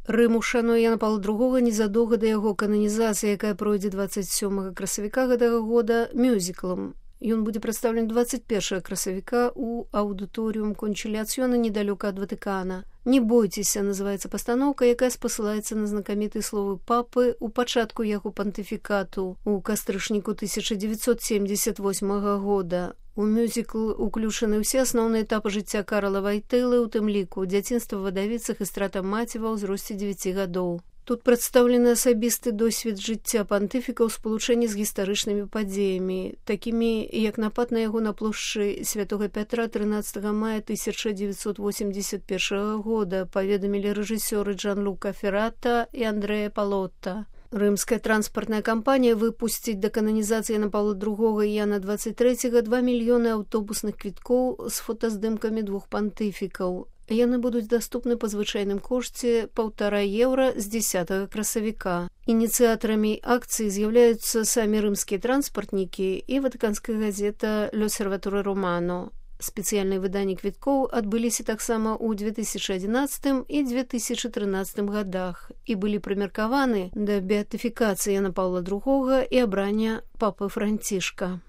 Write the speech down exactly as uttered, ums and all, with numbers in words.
Рым ушануе Яна Паўла другога незадоўга да яго кананізацыі, якая пройдзе дваццаць сёмага красавіка гэтага года мюзіклам. Ён будзе прадстаўлены дваццаць першага красавіка ў аўдыторыум Кончыліацыёна недалёка ад Ватыкана. «Не бойцеся» называецца пастаноўка, якая спасылаецца на знакамітыя словы папы ў пачатку яго пантыфікату ў кастрычніку тысяча дзевяцьсот семдзесят восьмага года. У мюзікл уключаны ўсе асноўныя этапы жыцця Карла Вайтэлы, у тым ліку дзяцінства вадавіцах і страта маці ва ўзросце дзевяці гадоў. Тут прадстаўлены асабісты досвед жыцця пантыфіка ў спалучэнні з гістарычнымі падзеямі, такімі як напад на яго на плошчы Святога Пятра трынаццатага мая тысяча дзевяцьсот восемьдесят першага года, паведамілі рэжысёры Джан-Лука Феррата і Андрэя Палотта. Рымская транспартная кампанія выпусціць да кананізацыі Яна Паўла другога і Яна дваццаць трэцяга два мільёны аўтобусных квіткоў з фотаздымкамі двух пантыфікаў. Яны будуць даступны па звычайным кошце паўтара еўра з дзесятага красавіка. Ініцыятарамі акцыі з'яўляюцца самі рымскія транспартнікі і ватыканская газета «L'Osservatore Romano». Спецыяльныя выданні квіткоў адбыліся таксама ў две тысячы адзінаццатым і две тысячы трынаццатым годах і былі прымеркаваны да беатыфікацыі Яна Паўла другога і абрання папы Францішка.